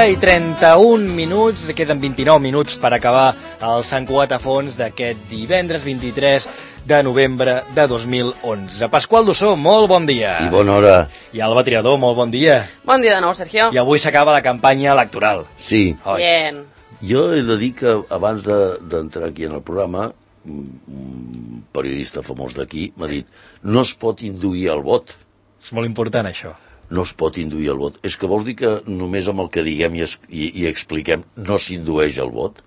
11:31, queden 29 minuts per acabar el Sant Cugat a fons d'aquest divendres 23 de novembre de 2011. Pasqual Dussó, molt bon dia. I bona hora. I Alba Triador, molt bon dia. Bon dia de nou, Sergio. I avui s'acaba la campanya electoral. Sí. Bien. Jo he de dir que abans d'entrar aquí en el programa, un periodista famós d'aquí m'ha dit: no es pot induir el vot. És molt important, això. No es pot induir el vot. És que vols dir que només amb el que diguem i expliquem no s'indueix el vot?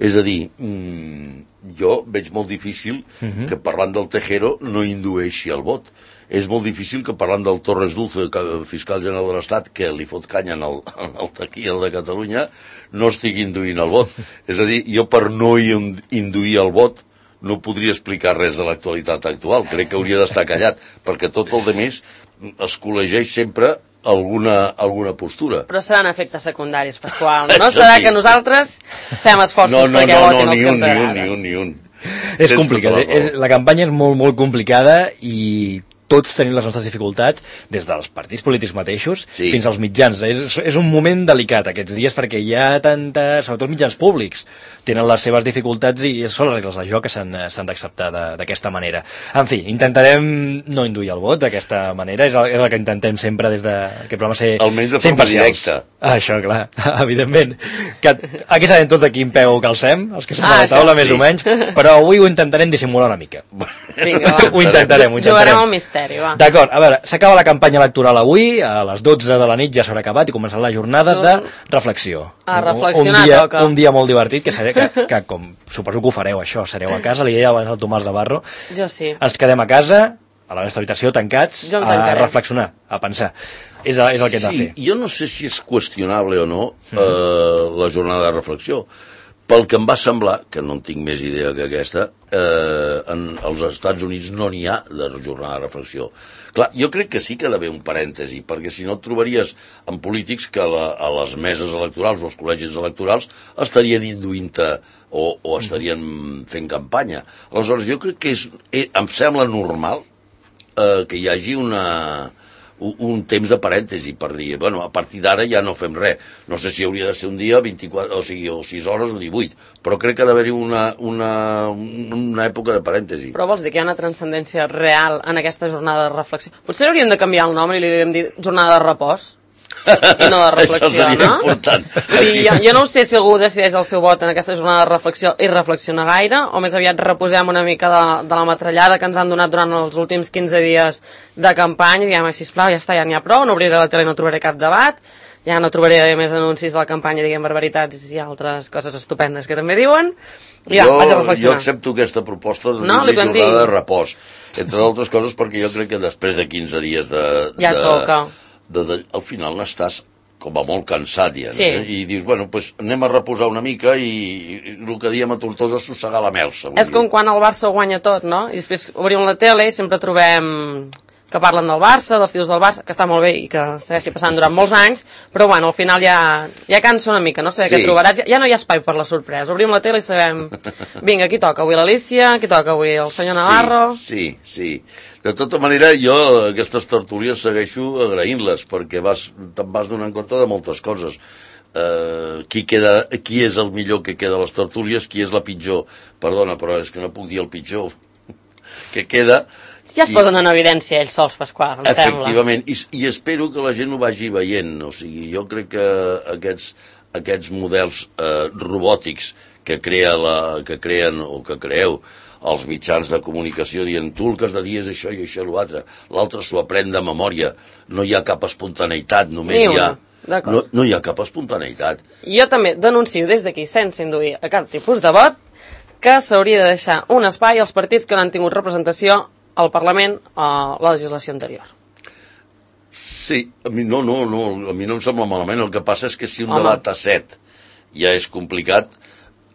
És a dir, jo veig molt difícil que parlant del Tejero no indueixi el vot. És molt difícil que parlant del Torres Dulce, fiscal general de l'Estat, que li fot canya al Taquí, al de Catalunya, no estigui induint el vot. És a dir, jo per no induir el vot no podria explicar res de l'actualitat actual. Crec que hauria d'estar callat, perquè tot el demés es col·legeix sempre alguna postura. Però seran efectes secundaris, Pasqual. No serà que nosaltres fem esforços perquè votin els que ens agraden. Ni un. És complicat. La campanya és molt, molt complicada i tots tenim les nostres dificultats, des dels partits polítics mateixos fins als mitjans. És un moment delicat aquests dies perquè hi ha sobretot mitjans públics, tenen les seves dificultats i són les regles de joc que s'han d'acceptar d'aquesta manera. En fi, intentarem no induir el vot d'aquesta manera, és el que intentem sempre des d'aquest programa, ser imparcials. Almenys de forma directa. Això, clar, evidentment. Aquí sabem tots a quin peu calcem, els que som a la taula més o menys, però avui ho intentarem dissimular una mica. Vinga, va. Ho intentarem. Jugarem al misteri, va. D'acord, a veure, s'acaba la campanya electoral avui, a les 12 de la nit ja s'haurà acabat i començarà la jornada de reflexió. A reflexionar toca. Un dia molt divertit, que com suposo que ho fareu això, sereu a casa, li deia abans al Tomàs Navarro. Jo sí. Ens quedem a casa, a la nostra habitació, tancats, a reflexionar, a pensar. És el que hem de fer. Jo no sé si és qüestionable o no la jornada de reflexió. Pel que em va semblar, que no en tinc més idea que aquesta, als Estats Units no n'hi ha de jornada de reflexió. Clar, jo crec que sí que ha d'haver un parèntesi, perquè si no et trobaries en polítics que a les meses electorals o als col·legis electorals estarien induint-te o estarien fent campanya. Aleshores, jo crec que em sembla normal que hi hagi un temps de parèntesi per dir, bueno, a partir d'ara ja no fem res. No sé si hauria de ser un dia 24, o 6 hores o 18, però crec que ha d'haver-hi una època de parèntesi. Però vols dir que hi ha una transcendència real en aquesta jornada de reflexió? Potser hauríem de canviar el nom i li hauríem de dir jornada de repòs i no de reflexió, això seria important. Jo no sé si algú decideix el seu vot en aquesta jornada de reflexió i reflexiona gaire, o més aviat reposem una mica de la metrallada que ens han donat durant els últims 15 dies de campanya i diguem, sisplau, ja està, ja n'hi ha prou, no obriré la tele i no trobaré cap debat, ja no trobaré més anuncis de la campanya, diguem barbaritats i altres coses estupendes que també diuen, i ja, vaig a reflexionar. Jo accepto aquesta proposta de jornada de repòs, entre altres coses perquè jo crec que després de 15 dies ja toca. Al final n'estàs com a molt cansat ja, sí. I dius, bueno, pues anem a reposar una mica i el que diem a Tortosa és sossegar la melsa. És com quan el Barça ho guanya tot, no? I després obrim la tele i sempre trobem que parlen del Barça, dels tios del Barça, que està molt bé i que segueixi passant durant molts anys, però bueno, al final ja cansa una mica, no sé què trobaràs, ja no hi ha espai per la sorpresa, obrim la tele i sabem, vinga, qui toca avui l'Alícia, qui toca avui el senyor Navarro... Sí. De tota manera, jo aquestes tertúlies segueixo agraint-les, perquè te'n vas donant compte de moltes coses. Qui és el millor que queda a les tertúlies, qui és la pitjor. Perdona, però és que no puc dir el pitjor que queda... Ja es posen en evidència ells sols, Pasqual, em sembla. Efectivament, i espero que la gent ho vagi veient. O sigui, jo crec que aquests models robòtics que creen o que creeu els mitjans de comunicació dient tu el que has de dir és això i això i l'altre. L'altre s'ho aprèn de memòria. No hi ha cap espontaneïtat, només hi ha... No hi ha cap espontaneïtat. Jo també denuncio des d'aquí, sense induir a cap tipus de vot, que s'hauria de deixar un espai als partits que no han tingut representació al Parlament a la legislació anterior. Sí, a mi no em sembla malament. El que passa és que si un debat a 7 ja és complicat,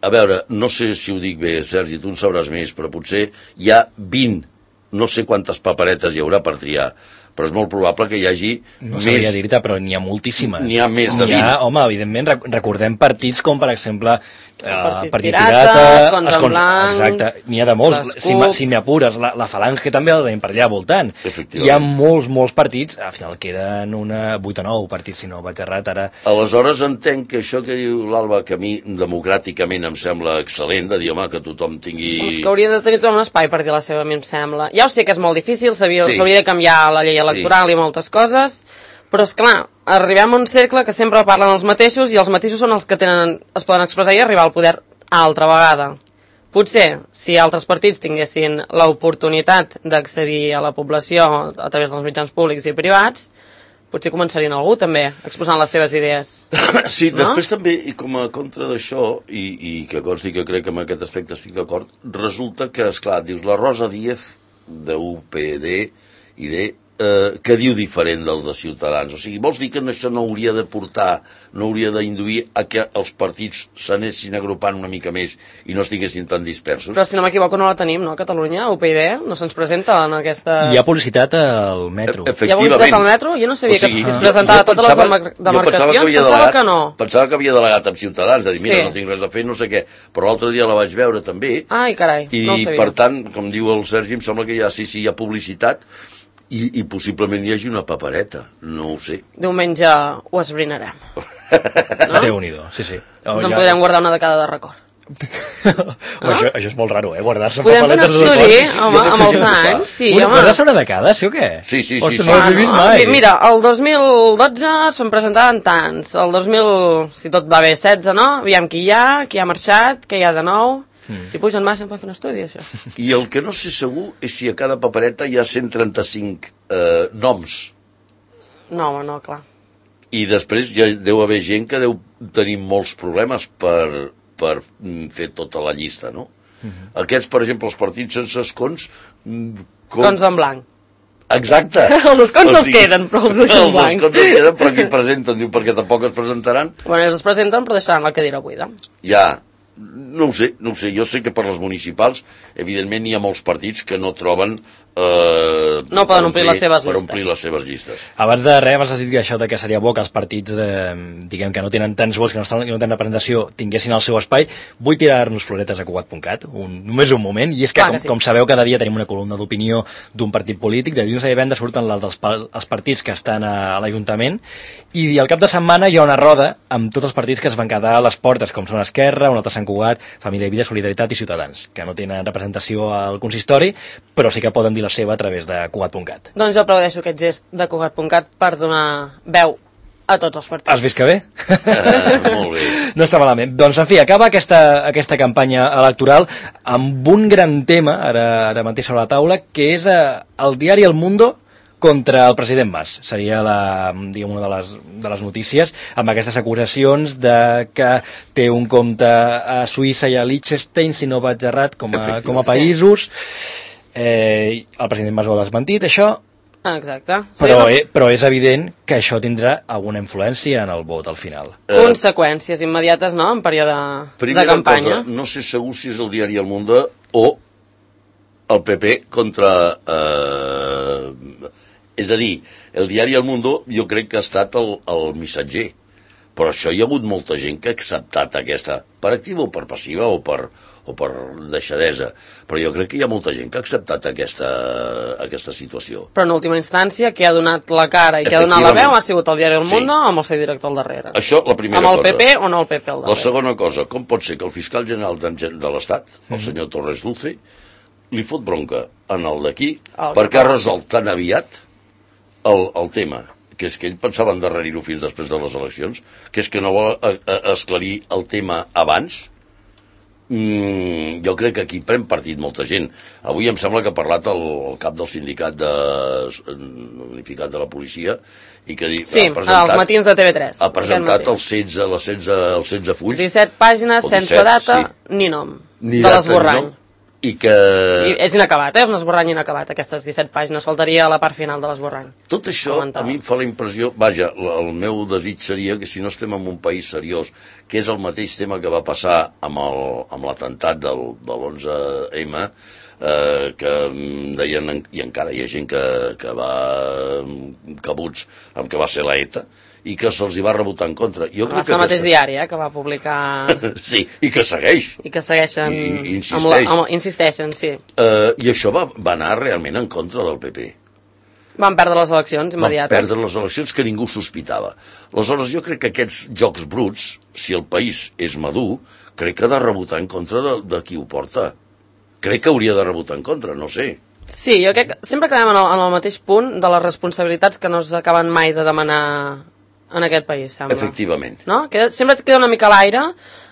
a veure, no sé si ho dic bé, Sergi, tu en sabràs més, però potser hi ha 20, no sé quantes paperetes hi haurà per triar, però és molt probable que hi hagi no sabria dir-te, però n'hi ha moltíssimes. N'hi ha més de 20. Home, evidentment, recordem partits com, per exemple, partit Pirates, Escons en Blanc... Exacte, n'hi ha de molts. Si m'apures, la Falange també la tenim per allà voltant. Hi ha molts partits, al final queden 8 o 9 partits, si no vaig errat, ara... Aleshores entenc que això que diu l'Alba, que a mi democràticament em sembla excel·lent, de dir, home, que tothom tingui... És que hauria de tenir tothom un espai per dir la seva, a mi em sembla. Ja ho sé que és molt difícil, s'hauria de canviar la llei electoral i moltes coses, però és clar, arribem a un cercle que sempre parlen els mateixos i els mateixos són els que es poden expressar i arribar al poder altra vegada. Potser, si altres partits tinguessin l'oportunitat d'accedir a la població a través dels mitjans públics i privats, potser començarien algú també exposant les seves idees. Sí, no? Després també, i com a contra d'això, i que consti que crec que en aquest aspecte estic d'acord, resulta que, esclar, dius, la Rosa Díez de UPD i de que diu diferent del de Ciutadans. O sigui, vols dir que això no hauria de portar, no hauria d'induir a que els partits s'anessin agrupant una mica més i no estiguessin tan dispersos? Però si no m'equivoco no la tenim, no, a Catalunya? UPyD no se'ns presenta en aquestes... Hi ha publicitat al metro. Hi ha publicitat al metro? Jo no sabia que es presentava a totes les demarcacions, pensava que no. Pensava que havia delegat amb Ciutadans, de dir, mira, no tinc res a fer, no sé què, però l'altre dia la vaig veure també. Ai, carai, no ho sabia. I per tant, com diu el Sergi, em sembla que hi ha publicitat, i possiblement hi hagi una papereta, no ho sé. Diumenge ho esbrinarem. No? Déu-n'hi-do, sí. Ens en podem guardar una de cada de record. Això és molt raro, guardar-se podem papeletes de record. Podem fer un estudi, home, amb els anys. Sí, guardar-se una de cada, sí o què? Sí. Ostres, no ho he vist mai. Mira, el 2012 se'n presentaven tants. El 2000, si tot va bé, 16, no? Aviam qui hi ha marxat, què hi ha de nou... Si pugen baix, podem fer un estudi, això. I el que no sé segur és si a cada papereta hi ha 135 noms. No, clar. I després ja deu haver gent que deu tenir molts problemes per fer tota la llista, no? Aquests, per exemple, els partits sense escons... Escons en blanc. Exacte. Els escons els queden, però els deixen blanc. Els escons els queden, però aquí presenten, diu, perquè tampoc es presentaran. Bueno, ells es presenten, però deixaran la cadira buida. Ja. No ho sé, jo sé que per les municipals evidentment hi ha molts partits que no troben no poden omplir les seves llistes. Per omplir les seves llistes. Abans de res m'has dit això de que seria bo que els partits diguem que no tenen tants vots, que no tenen representació, tinguessin el seu espai. Vull tirar-nos floretes a Cugat.cat només un moment, i és que com sabeu cada dia tenim una columna d'opinió d'un partit polític, de dilluns a divendres surten els partits que estan a l'Ajuntament, i al cap de setmana hi ha una roda amb tots els partits que es van quedar a les portes, com són Esquerra, un altre Sant Cugat, Família i Vida, Solidaritat i Ciutadans, que no tenen representació al consistori, però sí que poden dir la seva a través de Cugat.cat. Doncs jo aplaudeixo aquest gest de Cugat.cat per donar veu a tots els partits. Has vist que bé? Molt bé. No està malament. Doncs, en fi, acaba aquesta campanya electoral amb un gran tema, ara mateix sobre la taula, que és el diari El Mundo contra el president Mas. Seria una de les notícies, amb aquestes acusacions de que té un compte a Suïssa i a Liechtenstein, si no vaig errat, com a països. El president Mas ho ha desmentit, això. Exacte. Però és evident que això tindrà alguna influència en el vot al final. Conseqüències immediates, no?, en període de campanya. Cosa, no sé segur si és el diari El Mundo o el PP contra... És a dir, el diari El Mundo jo crec que ha estat el missatger, però això hi ha hagut molta gent que ha acceptat aquesta, per activa o per passiva o per deixadesa, però jo crec que hi ha molta gent que ha acceptat aquesta situació. Però en última instància, qui ha donat la cara i qui ha donat la veu ha sigut el diari El Mundo amb el seu director al darrere. Això, la primera cosa. Amb el PP o no el PP al darrere. La segona cosa, com pot ser que el fiscal general de l'Estat, el senyor Torres Dulce, li fot bronca en el d'aquí perquè ha resolt tan aviat el tema, que és que ell pensava endarrerir-ho fins després de les eleccions, que és que no vol esclarir el tema abans. Jo crec que aquí pren partit molta gent. Avui em sembla que ha parlat el cap del sindicat unificat de la policia i que sí, als matins de TV3 ha presentat els 16 fulls, 17 pàgines sense data ni nom de l'esborrany. I és inacabat, és un esborrany inacabat, aquestes 17 pàgines, faltaria la part final de l'esborrany. Tot això a mi em fa la impressió, vaja, el meu desig seria que si no estem en un país seriós, que és el mateix tema que va passar amb l'atemptat de l'11M, que deien, i encara hi ha gent que va cabuts amb que va ser la ETA, i que se'ls hi va rebotar en contra. Jo va ser el mateix diari, que va publicar... Sí, i que segueix. I que segueixen... I insisteix. Insisteixen, sí. I això va anar realment en contra del PP. Van perdre les eleccions immediates. Van perdre les eleccions que ningú sospitava. Aleshores, jo crec que aquests jocs bruts, si el país és madur, crec que ha de rebotar en contra de qui ho porta. Crec que hauria de rebotar en contra, no sé. Sí, jo crec que sempre acabem en el mateix punt de les responsabilitats que no s'acaben mai de demanar en aquest país, sembla. Efectivament. No? Sempre et queda una mica a l'aire.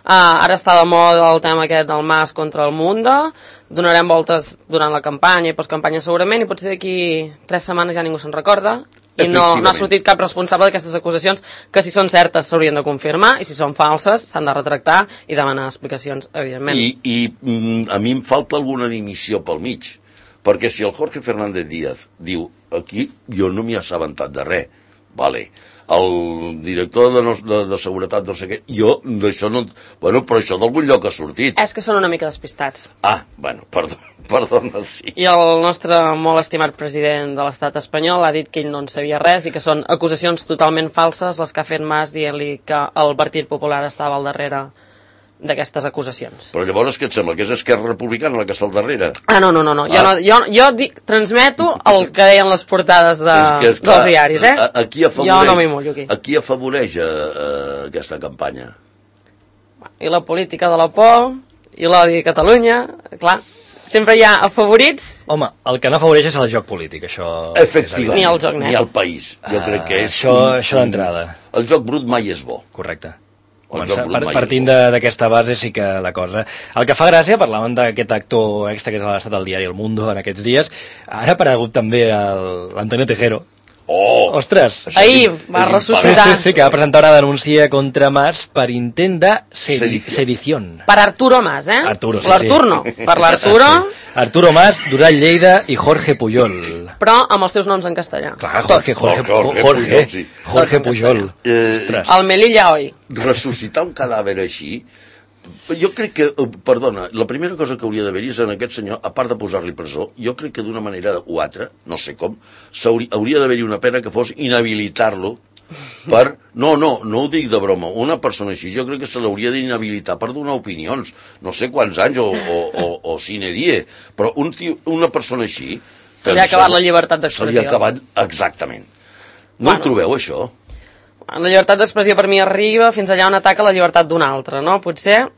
Ara està de moda el tema aquest del Mas contra el Mundo. Donarem voltes durant la campanya i postcampanya segurament, i potser d'aquí 3 setmanes ja ningú se'n recorda. I no ha sortit cap responsable d'aquestes acusacions, que si són certes s'haurien de confirmar, i si són falses s'han de retractar i demanar explicacions, evidentment. I a mi em falta alguna dimissió pel mig, perquè si el Jorge Fernández Díaz diu aquí jo no m'hi he assabentat de res, vale, el director de seguretat no sé què, jo d'això no... Bueno, però això d'algun lloc ha sortit. És que són una mica despistats. Bueno, perdona, sí. I el nostre molt estimat president de l'estat espanyol ha dit que ell no en sabia res i que són acusacions totalment falses les que ha fet Mas dient-li que el Partit Popular estava al darrere d'aquestes acusacions. Però llavors què et sembla? Que és Esquerra Republicana la que està al darrere? No. Jo transmeto el que deien les portades dels diaris, Aquí afavoreix, jo no m'hi mullo aquí. Aquí afavoreix aquesta campanya. I la política de la por, i l'odi a Catalunya, clar, sempre hi ha afavorits. Home, el que no afavoreix és el joc polític, això... Efectivament, ni el joc net. Ni el país. Jo crec que és... Això d'entrada. El joc brut mai és bo. Correcte. Partint d'aquesta base sí que la cosa... El que fa gràcia, parlàvem d'aquest actor extra que ha estat al diari El Mundo en aquests dies, ara ha aparegut també l'Antonio Tejero. Ostres! Ahir va ressuscitar. Sí, que va presentar una denúncia contra Mas per intent de sedició. Per Arturo Mas, Arturo, sí. L'Artur no. Per l'Arturo... Arturo Mas, Duran Lleida i Jorge Pujol. Però amb els seus noms en castellà. Clar, Jorge Pujol. El Melilla Hoy. Ressuscitar un cadàver així, jo crec que, perdona, la primera cosa que hauria d'haver-hi és en aquest senyor, a part de posar-li presó, jo crec que d'una manera o altra, no sé com, hauria d'haver-hi una pena que fos inhabilitar-lo per... No ho dic de broma, una persona així jo crec que se l'hauria d'inhabilitar per donar opinions, no sé quants anys o sine die, però una persona així... Se li ha acabat la llibertat d'expressió. Se li ha acabat, exactament. No ho trobeu, això? La llibertat d'expressió per mi arriba fins allà on ataca la llibertat d'un altre, no? Potser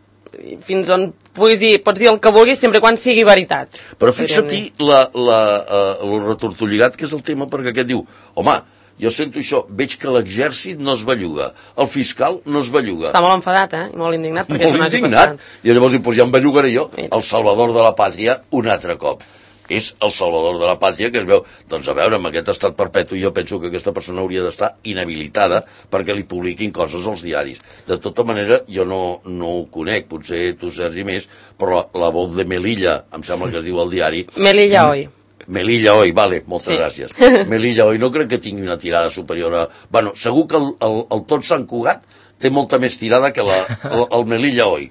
fins on pots dir el que vulguis sempre quan sigui veritat. Però fixa-t'hi el retortolligat que és el tema, perquè aquest diu, home, jo sento això, veig que l'exèrcit no es belluga, el fiscal no es belluga. Està molt enfadat, i molt indignat perquè molt indignat. I llavors diu, doncs ja em bellugaré jo, el salvador de la pàtria, un altre cop. És el salvador de la pàtria que es veu, doncs a veure, amb aquest estat perpetu jo penso que aquesta persona hauria d'estar inhabilitada perquè li publiquin coses als diaris. De tota manera, jo no ho conec, potser tu, Sergi, més, però la voz de Melilla, em sembla que es diu al diari... Melilla Hoy. Melilla Hoy, vale, moltes gràcies. Melilla Hoy no crec que tingui una tirada superior a... Bueno, segur que el Tot Sant Cugat té molta més tirada que el Melilla Hoy.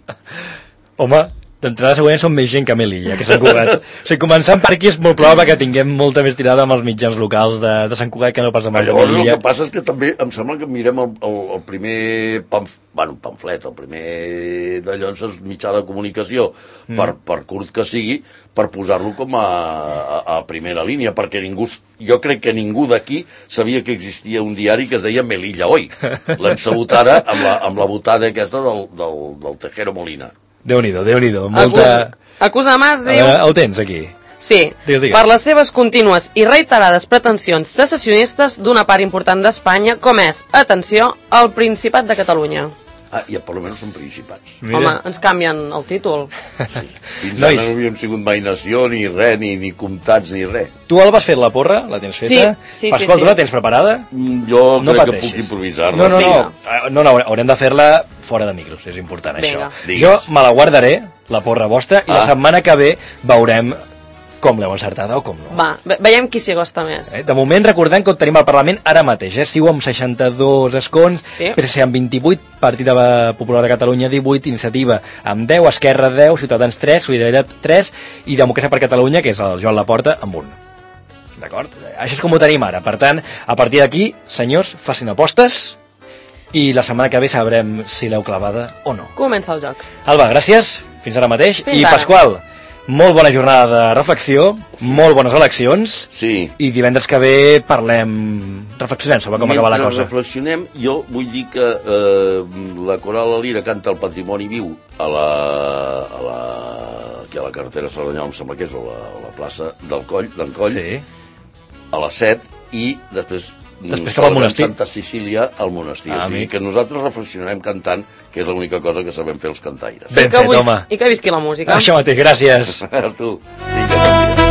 Home... D'entrada segurament són més gent que Melilla, que Sant Cugat. O sigui, començant per aquí és molt probable que tinguem molta més tirada amb els mitjans locals de Sant Cugat que no pas amb els de Melilla. El que passa és que també em sembla que mirem el primer pamflet, el primer d'allò en mitjà de comunicació, per curt que sigui, per posar-lo com a primera línia, perquè jo crec que ningú d'aquí sabia que existia un diari que es deia Melilla Hoy. L'hem sabut ara amb la botada aquesta del Tejero Molina. Déu-n'hi-do, molta... Acusa Mas, diu... Ho tens, aquí. Sí, digues. Per les seves contínues i reiterades pretensions secessionistes d'una part important d'Espanya, com és, atenció, el Principat de Catalunya. I per almenys són principats. Mira. Home, ens canvien el títol. Sí. Fins ara no havíem sigut mai nació, ni res, ni comtats, ni res. Tu, Alba, has fet la porra? La tens feta? Sí. Pasqual, tu la tens preparada? Jo crec que puc improvisar-la. No, haurem de fer-la fora de micros, és important. Vinga. Això. Digues. Jo me la guardaré, la porra vostra, i la setmana que ve veurem com l'heu encertada o com no. Va, veiem qui s'hi acosta més. De moment, recordem que tenim al Parlament ara mateix. CiU amb 62 escons, Sí. PSC amb 28, Partit Popular de Catalunya 18, Iniciativa amb 10, Esquerra 10, Ciutadans 3, Solidaritat 3 i Democràcia per Catalunya, que és el Joan Laporta, amb 1. D'acord? Això és com ho tenim ara. Per tant, a partir d'aquí, senyors, facin apostes i la setmana que ve sabrem si l'heu clavada o no. Comença el joc. Alba, gràcies. Fins ara mateix. Fins I ara. Pasqual, molt bona jornada de reflexió, molt bones eleccions. Sí. I divendres que ve reflexionem sobre com acaba la cosa. Mentre reflexionem, jo vull dir que la Coral La Lira canta el Patrimoni Viu aquí a la carretera Cerdanyola, em sembla que és, o la plaça d'en Coll, Sí. a les 7, i després cap al monestir. Santa Cecília al monestir. O sigui amic. que nosaltres reflexionarem cantant, que és l'única cosa que sabem fer els cantaires. Ben fet, home. I que visqui la música. Això mateix, gràcies. A tu. Vinga,